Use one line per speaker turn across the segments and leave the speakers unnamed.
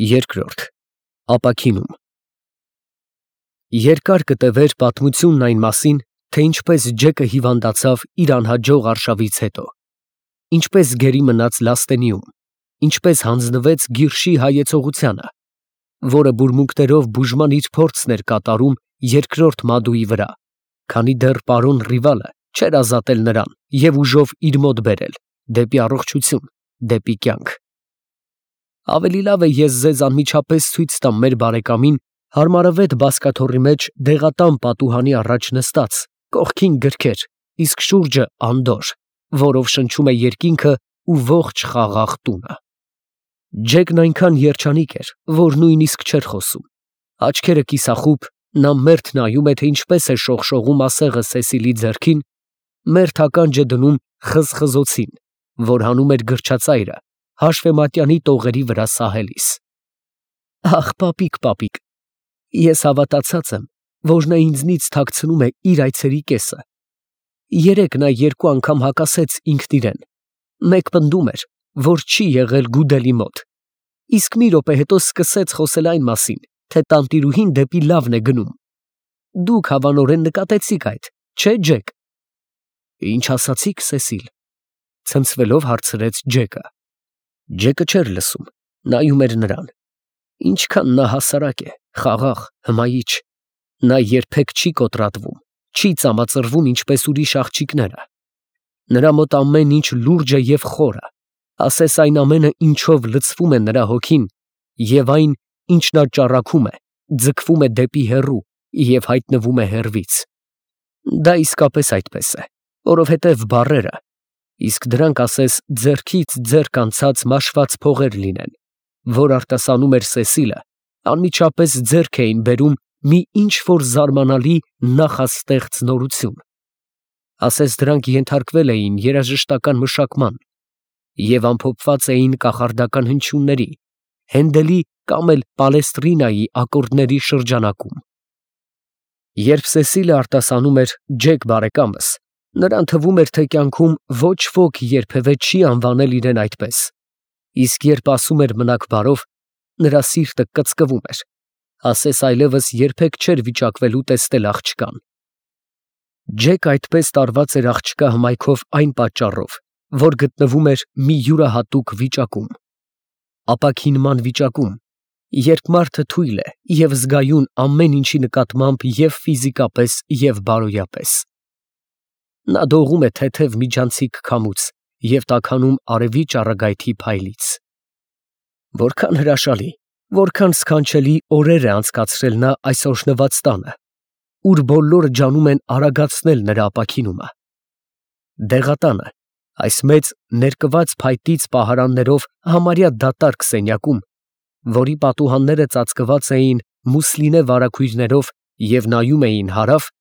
Երկրորդ ապաքինում Երկար կտևեր պատմությունն այն մասին, թե ինչպես Ջեկը հիվանդացավ իր անհաջող արշավից հետո, ինչպես գերի մնաց Լաստենիում, ինչպես հանձնվեց Գիրշի հայեցողությանը, որը բուրմունքներով բուժման իր փորձն էր կատարում երկրորդ Մադուի վրա, քանի դեռ պարոն Ռիվալը չէր ազատել նրան և ուժով իր մոտ բերել, դեպի առողջություն, դեպի կյանք։ Ավելի լավ է ես ձեզ անմիջապես ցույց տամ մեր բարեկամին հարմարավետ բազկաթոռի մեջ դեղատան պատուհանի առաջ նստած, կողքին գրքեր, իսկ շուրջը անդորր, որով շնչում է երկինքը ու ողջ խաղաղ տունը։ Ջեկն այնքան երջանիկ էր, որ նույնիսկ չէր խոսում։ Աչքերը կիսախուբ, նա մերթ նայում է, թե ինչպես է շողշողում ասեղը Սեսիլի ձեռքին, մերթ ականջ է դնում խզխզոցին, որ հանում էր գրչածայրը հաշվեմատյանի տողերի վրա սահելիս։ Ախ, պապիկ, ես հավատացած եմ, որ նա ինձնից թաքցնում է իր այցերի կեսը։ Երեկ նա 2 անգամ հակասեց ինքն իրեն, մեկ պնդում էր, որ չի եղել Գուդելի մոտ, իսկ մի րոպե հետո սկսեց խոսել այն մասին, թե տանտիրուհին դեպի լավն է գնում։ Դուք հավանորեն նկատեցիք այդ, չէ՞ Ջեք։ Ինչ ասացիք, Սեսիլ, ցնցվելով հարցրեց Ջեկը։ Ջեկը չէր լսում, նայում էր նրան։ Ինչքան նա հասարակ է, խաղաղ, հմայիչ։ Նա երբեք չի կոտրատվում, չի ծամածրվում ինչպես ուրիշ աղջիկները։ Նրա մոտ ամեն ինչ լուրջ է և խորը, ասես այն ամենը, ինչով լցվում է նրա հոգին, և այն, ինչ նա ճառագում է, ձգվում է դեպի հեռու և հայտնվում է հեռվից։ Դա իսկապես այդպես է, որովհետև բառերը, իսկ դրանք ասես ձեռքից ձեռք անցած մաշված փողեր լինեն, որ արտասանում էր Սեսիլը, անմիջապես ձեռք էին բերում մի ինչ֊որ զարմանալի նախաստեղծ նորություն։ Ասես դրանք ենթարկվել էին երաժշտական մշակման և ամփոփված էին կախարդական հնչյունների, Հենդելի կամ էլ Պալեստրինայի ակորդների շրջանակում։ Երբ Սեսիլը արտասանում էր Ջեք բարեկամս, նրան թվում էր, թե կյանքում ոչ ոք երբևէ չի անվանել իրեն այդպես, իսկ երբ ասում էր մնաք բարով, նրա սիրտը կծկվում էր, ասես այլևս երբեք չէր վիճակվելու տեսնել աղջկան։ Ջեկը այդպես տարված էր աղջկա հմայքով այն պատճառով, որ գտնվում էր մի յուրահատուկ վիճակում, ապաքինման վիճակում, երբ մարդը թույլ է և զգայուն ամեն ինչի նկատմամբ և ֆիզիկապես, և բարոյապես։ Նա դողում է թեթև միջանցիկ քամուց և տաքանում արևի ճառագայթի փայլից։ Որքան հրաշալի, որքան սքանչելի օրեր է անցկացրել նա այս օրհնված տանը, ուր բոլորը ջանում են արագացնել նրա ապաքինումը։ Դեղատանը, այս մեծ ներկված փայտից պահարաններով համարյա դատարկ սենյակում, որի պատուհանները ծածկված էին մուսլինե վարագույրներով և նայում էին հարավ,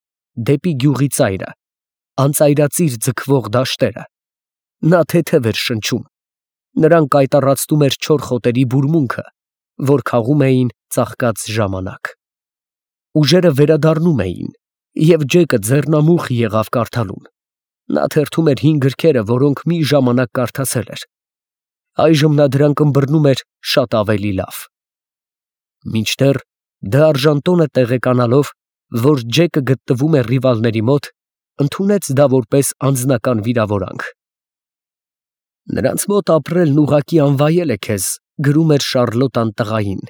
դեպի գյուղի ծայրը, անծայրածիր ձգվող դաշտերը, նա թեթև էր շնչում, նրան կայտառացնում էր չոր խոտերի բուրմունքը, որ քաղում էին ծաղկած ժամանակ։ Ուժերը վերադառնում էին, և Ջեկը ձեռնամուխ եղավ կարդալուն։ Նա թերթում էր հին գրքերը, որոնք մի ժամանակ կարդացել էր։ Այժմ նա դրանք ըմբռնում էր շատ ավելի լավ։ Մինչդեռ դարժան տոնը տեղեկանալով, որ Ջեկը գտնվում է Ռիվալների մոտ, ընդունեց դա որպես անձնական վիրավորանք։ Նրանց մոտ ապրելն ուղղակի անվայել է քեզ, գրում էր Շառլոտան տղային։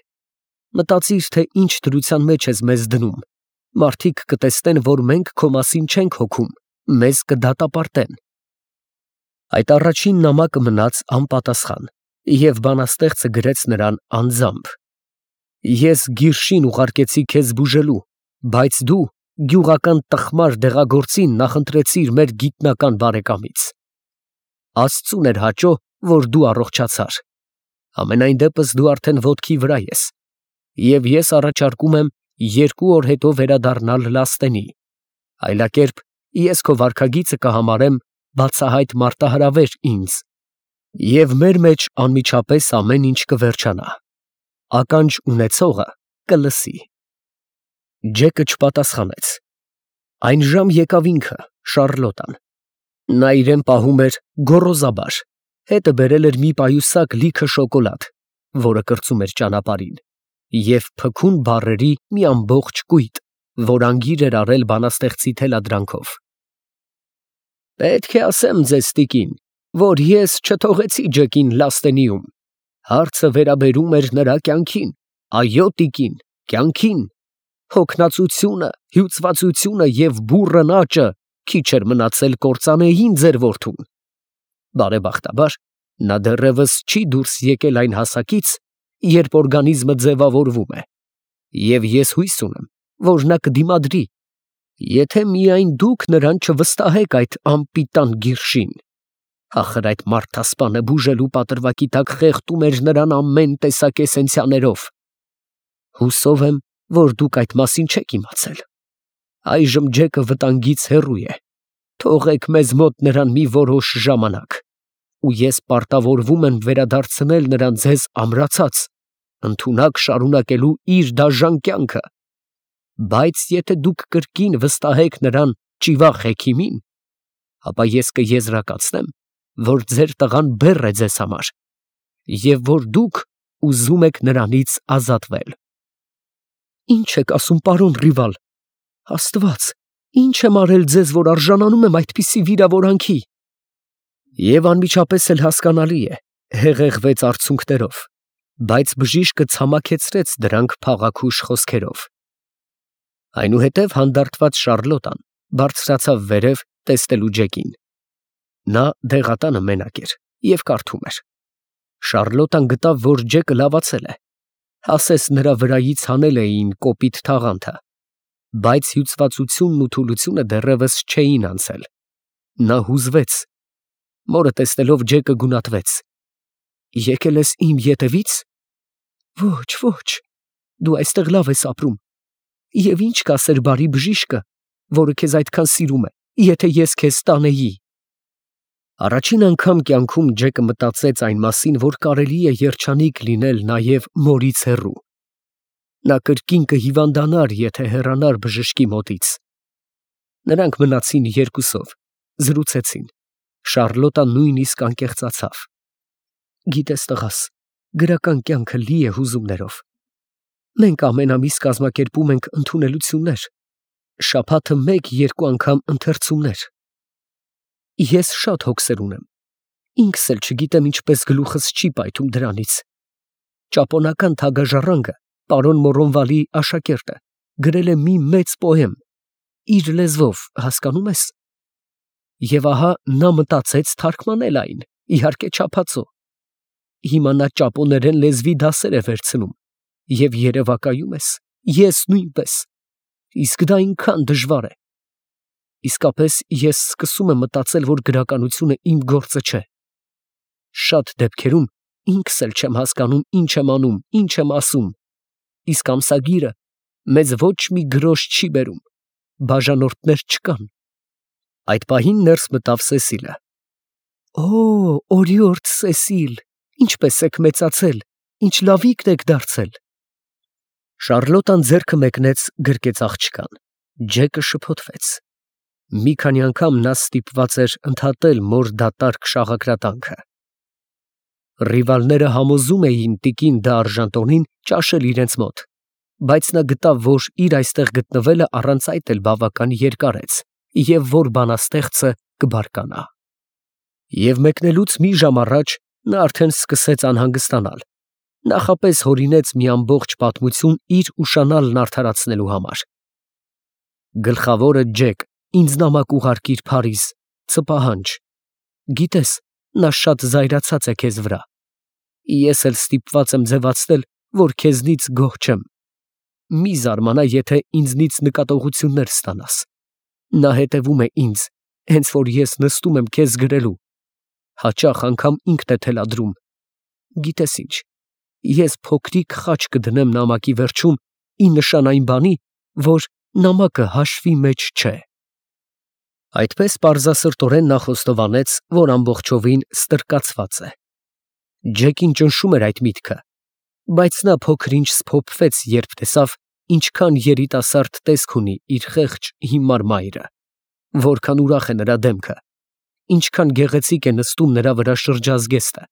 Մտածիր, թե ինչ դրության մեջ ես մեզ դնում, մարդիկ կտեսնեն, որ մենք քո մասին չենք հոգում, մեզ կդատապարտեն։ Այդ առաջին նամակը մնաց անպատասխան, և բանաստեղծը գրեց նրան անձամբ. Ես Գիրշին ուղարկեցի քեզ բուժելու, բայց դու գյուղական տխմար դեղագործին նախընտրեցիր մեր գիտնական բարեկամից։ Աստծուն էր հաճո, որ դու առողջացար։ Համենայն դեպս դու արդեն ոտքի վրա ես, և ես առաջարկում եմ 2 օր հետո վերադառնալ Լաստենի, այլակերպ ես քո վարքագիծը կհամարեմ բացահայտ մարտահրավեր ինձ, և մեր մեջ անմիջապես ամեն ինչ կվերջանա։ Ականջ ունեցողը կլսի։ Ջեկը չպատասխանեց։ Այն ժամ եկավ ինքը, Շառլոտան։ Նա իրեն պահում էր գոռոզաբար, հետը բերել էր մի պայուսակ լիքը շոկոլադ, որը կրծում էր ճանապարհին, և փքուն բառերի մի ամբողջ կույտ, որ անգիր էր արել բանաստեղծի թելադրանքով։ «Պետք է ասեմ ձեզ, տիկին, որ ես չթողեցի Ջեկին Լաստենիում. հարցը վերաբերում էր նրա կյանքին, այո, տիկին, կյանքին։ Հոգնածությունը, հյուծվածությունը և բուռն աճը քիչ էր մնացել կործանեին ձեր որդուն։ Բարեբախտաբար, նա դեռևս չի դուրս եկել այն հասակից, երբ օրգանիզմը ձևավորվում է, և ես հույս ունեմ, որ նա կդիմադրի, եթե միայն դուք նրան չվստահեք այդ անպիտան գիրշին։ Ախր այդ մարդասպանը բուժելու պատրվակի տակ խեղդում էր նրան ամեն տեսակ էսենցիաներով։ Հուսով եմ, որ դուք այդ մասին չեք իմացել։ Այժմ Ջեկը վտանգից հեռու է։ Թողեք մեզ մոտ նրան մի որոշ ժամանակ, ու ես պարտավորվում եմ վերադարձնել նրան ձեզ ամրացած, ընդունակ շարունակելու իր դաժան կյանքը։ Բայց եթե դուք կրկին վստահեք նրան ճիվաղ հեքիմին, ապա ես կեզրակացնեմ, որ ձեր տղան բեռ է ձեզ համար, և որ դուք ուզում եք նրանից ազատվել»։ «Ի՞նչ եք ասում, պարոն Ռիվալ, Աստված, ի՞նչ եմ արել ձեզ, որ արժանանում եմ այդպիսի վիրավորանքի»։ Եվ անմիջապես էլ հասկանալի է, հեղեղվեց արցունքներով, բայց բժիշկը ցամաքեցրեց դրանք փաղաքուշ խոսքերով։ Այնուհետև հանդարտված Շարլոտան բարձրացավ վերև տեսնելու Ջեկին։ Նա դեղատանը մենակ էր և կարդում էր։ Շարլոտան գտավ, որ Ջեկը լավացել է, ասես նրա վրայից հանել էին կոպիտ թաղանթը, բայց հյուծվածությունն ու թուլությունը դեռևս չէին անցել։ Նա հուզվեց։ Մորը տեսնելով Ջեկը գունատվեց։ «Եկել ես իմ ետևի՞ց»։ «Ոչ, ոչ, դու այստեղ լավ ես ապրում, և ինչ կասեր բարի բժիշկը, որը քեզ այդքան սիրում է, եթե ես քեզ տանեի»։ Առաջին անգամ կյանքում Ջեկը մտածեց այն մասին, որ կարելի է երջանիկ լինել նաև մորից հեռու։ Նա կրկին կհիվանդանար, եթե հեռանար բժշկի մոտից։ Նրանք մնացին երկուսով, զրուցեցին։ Շարլոտան նույնիսկ անկեղծացավ։ «Գիտես, տղաս, գրական կյանքը լի է հուզումներով։ Մենք ամեն ամիս կազմակերպում ենք ընդունելություններ, շաբաթը մեկ-երկու անգամ ընթերցումներ։ Ես շատ հոգսեր ունեմ, ինքս էլ չգիտեմ ինչպես գլուխս չի պայթում դրանից։ Ճապոնական թագաժառանգը, պարոն Մորոնվալի աշակերտը, գրել է մի մեծ պոեմ, իր լեզվով, հասկանում ես։ Եվ ահա նա մտածեց թարգմանել այն, իհարկե չափածո։ Հիմա նա ճապոներեն լեզվի դասեր է վերցնում, և երևակայում ես, ես նույնպես։ Իսկ դա այնքան դժվար է։ Իսկապես ես սկսում եմ մտածել, որ գրականությունը իմ գործը չէ։ Շատ դեպքերում ինքս էլ չեմ հասկանում ինչ եմ անում, ինչ եմ ասում։ Իսկ ամսագիրը մեզ ոչ մի գրոշ չի բերում, բաժանորդներ չկան։ Այդ պահին ներս մտավ Սեսիլը։ «Օ, օրիորդ Սեսիլ, ինչպես եք մեծացել, ինչ լավիկն եք դարձել»։ Շարլոտան ձեռքը մեկնեց գրկեց աղջկան։ Ջեկը շփոթվեց։ Մի քանի անգամ նա ստիպված էր ընդհատել մոր դատարկ շաղակրատանքը։ Ռիվալները համոզում էին տիկին դ'Արժանտոնին ճաշել իրենց մոտ, բայց նա գտավ, որ իր այստեղ գտնվելը առանց այդ էլ բավական երկարեց, և որ բանաստեղծը կբարկանա։ Եվ մեկնելուց մի ժամ առաջ նա արդեն սկսեց անհանգստանալ, նախապես հորինեց մի ամբողջ պատմություն իր ուշանալն արդարացնելու համար։ «Գլխավորը Ջեք, ինձ նամակ ուղարկիր Փարիզ, ցպահանջ։ Գիտես, նա շատ զայրացած է քեզ վրա։ Ես էլ ստիպված եմ ձևացնել, որ քեզնից գոհ չեմ։ Մի զարմանա, եթե ինձնից նկատողություններ ստանաս։ Նա հետևում է ինձ, հենց որ ես նստում եմ քեզ գրելու։ Հաճախ անգամ ինքն է թելադրում։ Գիտես ինչ, ես փոքրիկ խաչ կդնեմ նամակի վերջում, ի նշան այն բանի, որ նամակը հաշվի մեջ չէ»։ Այդպես պարզասրտորեն նա խոստովանեց, որ ամբողջովին ստրկացված է։ Ջեկին ճնշում էր այդ միտքը, բայց նա փոքր-ինչ սփոփվեց, երբ տեսավ, ինչքան երիտասարդ տեսք ունի իր խեղճ հիմար մայրը, որքան ուրախ է նրա դեմքը, ինչքան գեղեցիկ է նստում նրա վրա շրջազգեստը,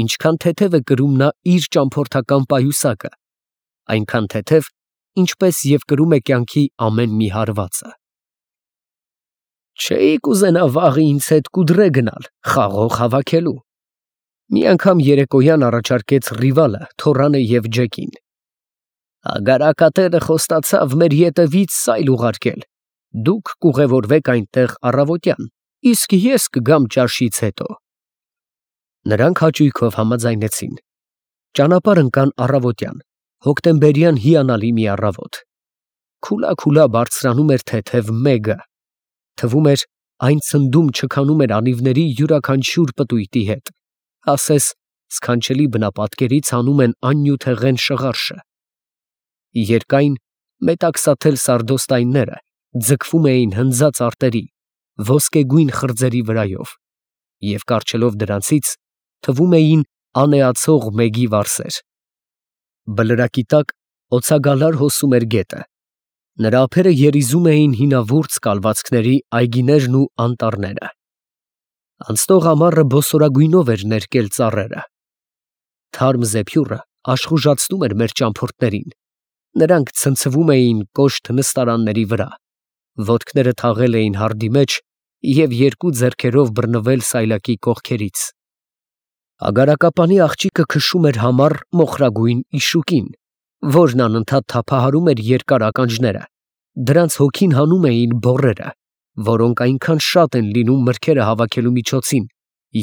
ինչքան թեթև է կրում նա իր ճամփորդական պայուսակը, այնքան թեթև, ինչպես և կրում է կյանքի ամեն մի հարվածը։ Չէի կուզենա վաղը ինձ հետ կուդրե գնալ, խաղող հավաքելու։ Մի անգամ երեկոյան առաջարկեց Ռիվալը Թորանը և Ջեկին։ Ագարակատերը խոստացավ մեր ետևից սայլ ուղարկել, դուք կուղևորվեք այնտեղ առավոտյան, իսկ ես կգամ ճաշից հետո։ Նրանք հաճույքով համաձայնեցին։ Ճանապարհ ընկան առավոտյան, հոկտեմբերյան հիանալի մի առավոտ։ Քուլա բարձրանում էր թեթև մեգը։ Թվում էր, այն ցնդում չքանում էր անիվների յուրաքանչյուր պտույտի հետ, ասես սքանչելի բնապատկերից հանում են աննյութեղեն շղարշը։ Երկայն մետաքսաթել սարդոստայնները ձգվում էին հնձած արտերի, ոսկեգույն խրձերի վրայով և կառչելով դրանցից թվում էին անեացող մեգի վարսեր։ Բլրակի տակ օձագալար հոսում էր գետը։ Նրա ափերը երիզում էին հինավուրց կալվածքների այգիներն ու անտառները։ Անցնող ամառը բոսորագույնով էր ներկել ծառերը։ Թարմ զեփյուռը աշխուժացնում էր մեր ճամփորդներին։ Նրանք ցնցվում էին կոշտ նստարանների վրա, ոտքները թաղել էին հարդի մեջ և երկու ձեռքերով բռնվել սայլակի կողքերից։ Ագարակապանի աղջիկը քշում էր համառ մոխրագույն իշուկին, որն անընդհատ թափահարում էր երկար ականջները, դրանց հոգին հանում էին բոռերը, որոնք այնքան շատ են լինում մրգերը հավաքելու միջոցին,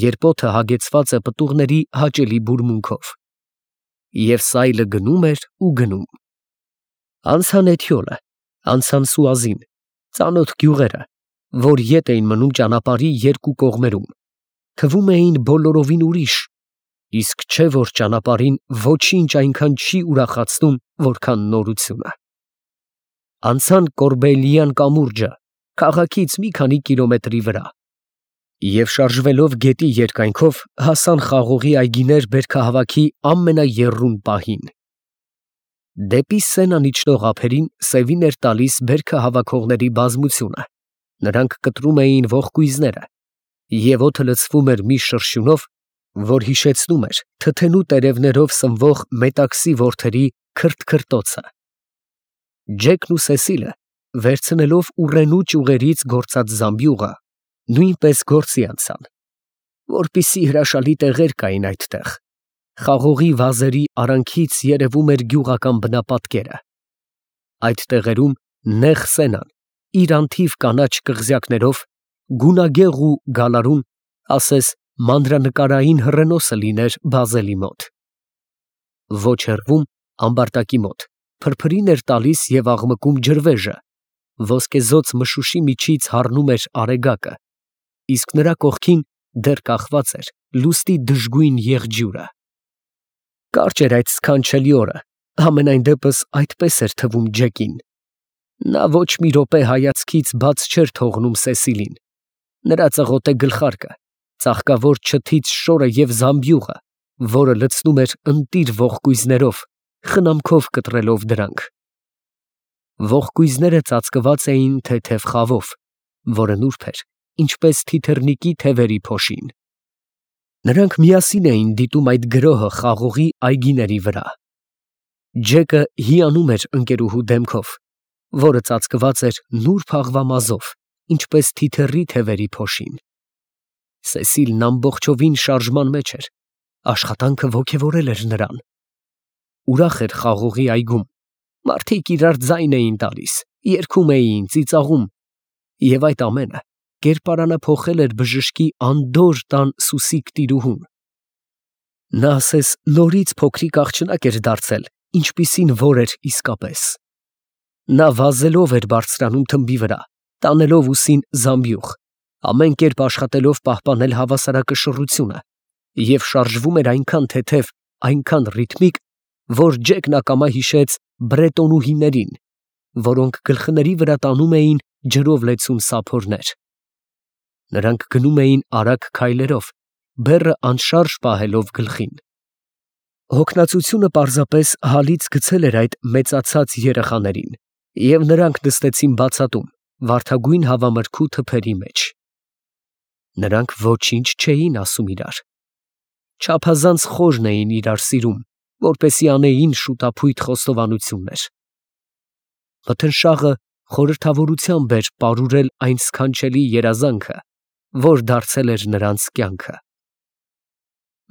երբ օդը հագեցված է պտուղների հաճելի բուրմունքով։ Եվ սայլը գնում էր ու գնում։ Անցան Էթյոլը, անցան Սուազին, ծանոթ գյուղերը, որ ետ էին մնում ճանապարհի երկու կողմերում, թվում էին բոլորովին ուրիշ, իսկ չէ որ ճանապարհին ոչինչ այնքան չի ուրախացնում, որքան նորությունը։ Անցան Կորբեիլյան կամուրջը, քաղաքից մի քանի կիլոմետրի վրա, և շարժվելով գետի երկայնքով հասան խաղողի այգիներ բերքահավաքի ամենաեռուն պահին։ Դեպի Սենան իջնող ափերին սևին էր տալիս բերքահավաքողների բազմությունը, նրանք կտրում էին ողկույզները, և օդը լցվում էր մի շրշյունով, որ հիշեցնում էր թթենու տերևներով սնվող մետաքսի որդերի քրթքրթոցը։ Ջեկն ու Սեսիլը, վերցնելով ուռենու ճյուղերից գործած զամբյուղը, նույնպես գործի անցան, որպիսի հրաշալի տեղեր կային այդտեղ, խաղողի վազերի արանքից երևում էր գյուղական բնապատկերը։ Այդ տեղերում նեղ Սենան իր անթիվ կանաչ կղզյակներով, գունագեղ ու գալարուն, ասես մանրանկարային հռենոսը լիներ Բազելի մոտ։ Ոչ հեռվում, ամբարտակի մոտ, փրփրին էր տալիս և աղմկում ջրվեժը, ոսկեզօծ մշուշի միջից հառնում էր արեգակը, իսկ նրա կողքին դեռ կախված էր լուսնի դժգույն եղջյուրը։ Կարճ էր այդ սքանչելի օրը, համենայն դեպս այդպես էր թվում Ջեկին։ Նա ոչ մի րոպե հայացքից բաց չէր թողնում Սեսիլին, նրա ծղոտե գլխարկը, ծաղկավոր չթից շորը և զամբյուղը, որը լցնում էր ընտիր ողկույզներով, խնամքով կտրելով դրանք։ Ողկույզները ծածկված էին թեթև խավով, որը նուրբ էր, ինչպես թիթեռնիկի թևերի փոշին։ Նրանք միասին էին դիտում այդ գրոհը խաղողի այգիների վրա։ Ջեկը հիանում էր ընկերուհու դեմքով, որը ծածկված էր նուրբ աղվամազով, ինչպես թիթեռի թևերի փոշին։ Սեսիլն ամբողջովին շարժման մեջ էր, աշխատանքը ոգևորել էր նրան։ Ուրախ էր խաղողի այգում, մարդիկ իրար ձայն էին տալիս, երգում էին, ծիծաղում, և այդ ամենը կերպարանափոխել էր բժշկի անդորր տան Սուսիկ տիրուհուն։ Նա ասես նորից փոքրիկ աղջնակ էր դարձել, ինչպիսին որ էր իսկապես։ Նա վազելով էր բարձրանում թմբի վրա, տանելով ուսին զամբյուղ, ամեն կերպ աշխատելով պահպանել հավասարակշռությունը, և շարժվում էր այնքան թեթև, այնքան ռիթմիկ, որ Ջեկն ակամա հիշեց բրետոնուհիներին, որոնք գլխների վրա տանում էին ջրով լեցուն սափորներ։ Նրանք գնում էին արագ քայլերով, բեռը անշարժ պահելով գլխին։ Հոգնածությունը պարզապես հալից գցել էր այդ մեծացած երեխաներին, և նրանք նստեցին բացատում, վարդագույն հավամրգու թփերի մեջ։ Նրանք ոչինչ չէին ասում իրար։ չափազանց խորն էին իրար սիրում, որպեսզի անեին շուտափույթ խոստովանություններ։ Մթնշաղը խորհրդավորությամբ էր պարուրել այն սքանչելի երազանքը, որ դարձել էր նրանց կյանքը։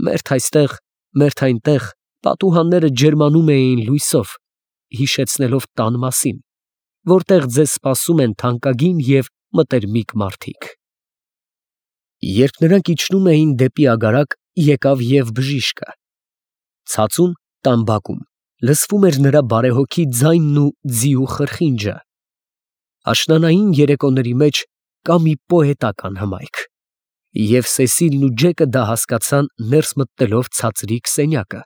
Մերթ այստեղ, մերթ այնտեղ պատուհանները ջերմանում էին լույսով, հիշեցնելով տան մասին, որտեղ ձեզ սպասում են թանկագին և մտերմիկ մարդիկ։ Երբ նրանք իջնում էին դեպի ագարակ, եկավ և բժիշկը։ Ցածուն տան բակում լսվում էր նրա բարեհոգի ձայնն ու ձիու խրխինջը։ Աշնանային երեկոների մեջ կա մի պոետական հմայք, և Սեսիլն ու Ջեկը դա հասկացան ներս մտնելով ցածրիկ սենյակը,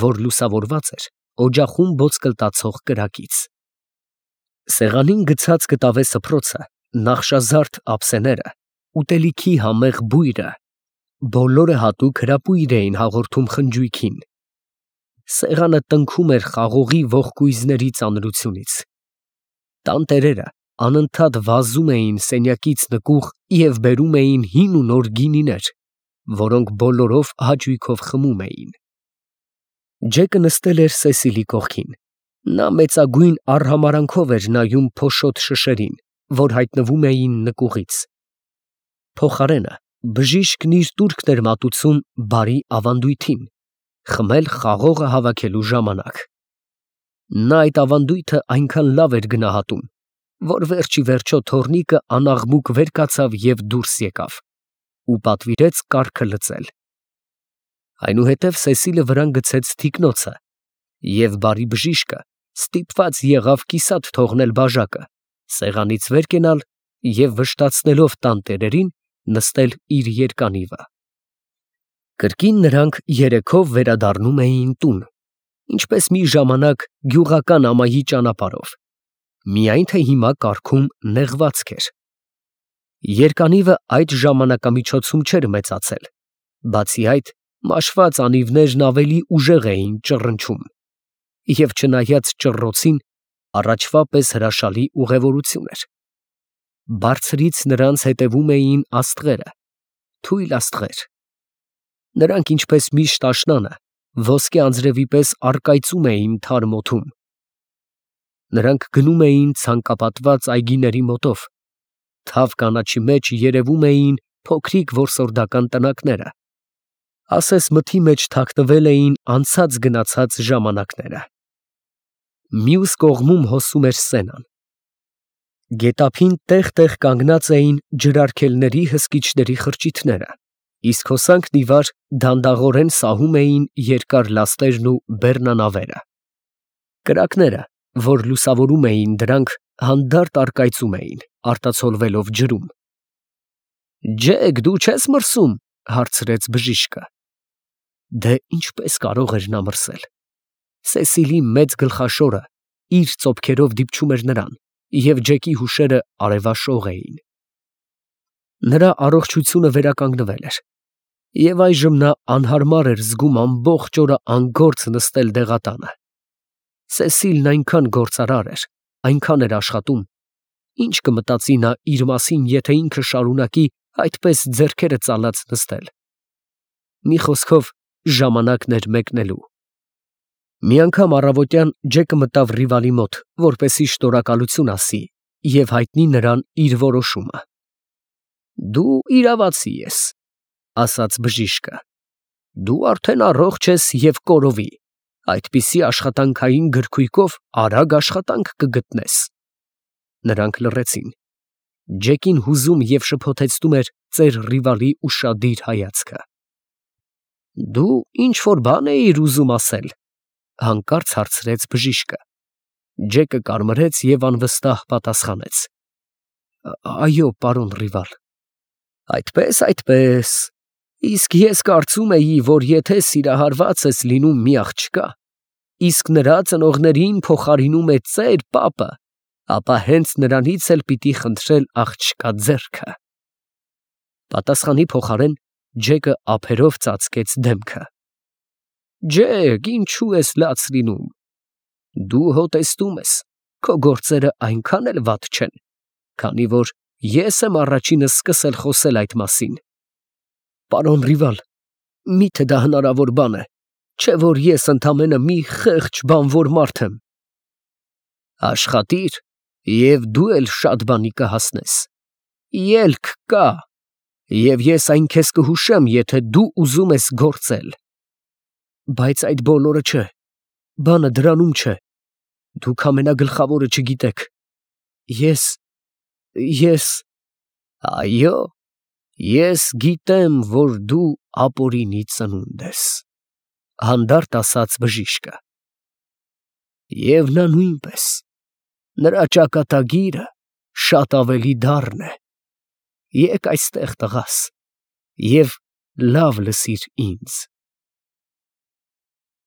որ լուսավորված էր օջախում ոսկլտացող կրակից։ Սեղանին գցած կտավե սփռոցը, նախշազարդ ափսեները, ուտելիքի համեղ բույրը, բոլորը հատուկ հրապույր էին հաղորդում խնջույքին։ Սեղանը տնքում էր խաղողի ողկույզների ծանրությունից։ Տան տերերը անընդհատ վազում էին սենյակից նկուղ և բերում էին հին ու նոր գինիներ, որոնք բոլորով հաճույքով խմում էին։ Ջեկը նստել էր Սեսիլի կողքին։ Նա մեծագույն արհամարհանքով էր նայում փոշոտ շշերին, որ հայտնվում էին նկուղից։ Փոխարենը բժիշկն իր տուրքն էր մատուցում բարի ավանդույթին՝ խմել խաղողը հավաքելու ժամանակ։ Նա այդ ավանդույթը այնքան լավ էր գնահատում, որ վերջիվերջո թոռնիկը անաղմուկ վեր կացավ և դուրս եկավ ու պատվիրեց կառքը լցել։ Այնուհետև Սեսիլը վրան գցեց թիկնոցը, և բարի բժիշկը ստիպված եղավ կիսատ թողնել բաժակը, սեղանից վեր կենալ և վշտացնելով տան տերերին նստել իր երկանիվը։ Կրկին նրանք երեքով վերադառնում էին տուն, ինչպես մի ժամանակ գյուղական ամայի ճանապարհով, միայն թե հիմա կառքում նեղվածք էր։ Երկանիվը այդ ժամանակամիջոցում չէր մեծացել, բացի այդ, մաշված անիվներն ավելի ուժեղ էին ճռնչում, և չնայած ճռռոցին, առաջվա պես հրաշալի ուղևորություն էր։ Բարձրից նրանց հետևում էին աստղերը, թույլ աստղեր։ Նրանք, ինչպես միշտ աշնանը, ոսկե անձրևի պես առկայծում էին թարմ օդում։ Նրանք գնում էին ցանկապատված այգիների մոտով, թավ կանաչի մեջ երևում էին փոքրիկ որսորդական տնակները, ասես մթի մեջ թաքնվել էին անցած֊գնացած ժամանակները։ Մյուս կողմում հոսում էր Սենան։ Գետափին տեղ֊տեղ կանգնած էին ջրարգելների հսկիչների խրճիթները, իսկ հոսանքն ի վար դանդաղորեն սահում էին երկար լաստերն ու բեռնանավերը։ Կրակները, որ լուսավորում էին դրանք, հանդարտ առկայծում էին, արտացոլվելով ջրում։ «Ջեք, դու չե՞ս մրսում», հարցրեց բժիշկը։ Դե ինչպես կարող էր նա մրսել։ Սեսիլի մեծ գլխաշորը իր ծոփքերով դիպչում էր նրան, և Ջեկի հուշերը արևաշող էին։ Նրա առողջությունը վերականգնվել էր, և այժմ նա անհարմար էր զգում ամբողջ օրը անգործ նստել դեղատանը։ Սեսիլն այնքան գործարար էր, այնքան էր աշխատում, ինչ կմտածի նա իր մասին, եթե ինքը շարունակի այդպես ձեռքերը ծալած նստել։ Մի խոսքով, ժամանակն էր մեկնելու։ Մի անգամ առավոտյան Ջեկը մտավ Ռիվալի մոտ, որպեսզի շնորհակալություն ասի և հայտնի նրան իր որոշումը։ «Դու իրավացի ես», ասաց բժիշկը։ «Դու արդեն առողջ ես և կորովի, այդպիսի աշխատանքային գրքույկով արագ աշխատանք կգտնես»։ Նրանք լռեցին։ Ջեկին հուզում և շփոթեցնում էր ծեր Ռիվալի ուշադիր հայացքը։ «Դու ինչ֊որ բան էիր ուզում ասել», հանկարծ հարցրեց բժիշկը։ Ջեկը կարմրեց և անվստահ պատասխանեց. «Այո, պարոն Ռիվալ»։ Այդպես, իսկ ես կարծում էի, որ եթե սիրահարված ես լինում մի աղջկա, իսկ նրա ծնողներին փոխարինում է ծեր պապը, ապա հենց նրանից էլ պիտի խնդրել աղջկա ձեռքը։ Պատասխանի փոխարեն Ջեկը ափերով ծածկեց դեմքը։ «Ջեք, ինչու ես լաց լինում։ Դու հո տեսնում ես, քո գործերը այնքան էլ վատ չեն, քանի որ ես եմ առաջինը սկսել խոսել այդ մասին»։ «Պարոն Ռիվալ, Միթե դա հնարավոր բան է, չէ որ ես ընդամենը մի խեղճ բանվոր մարդ եմ։ Աշխատիր, և դու էլ շատ բանի կհասնես։ Ելք կա, և ես այն քեզ կհուշեմ, եթե դու ուզում ես գործել։ Բայց այդ բոլորը չէ, բանը դրանում չէ, դուք ամենագլխավորը չգիտեք։ Ես… Այո, ես գիտեմ, որ դու ապօրինի ծնունդ ես, հանդարտ ասաց բժիշկը։ Եվ նա նույնպես, նրա ճակատագիրը շատ ավելի դառն է։ Եկ այստեղ, տղաս, և լավ լսիր ինձ։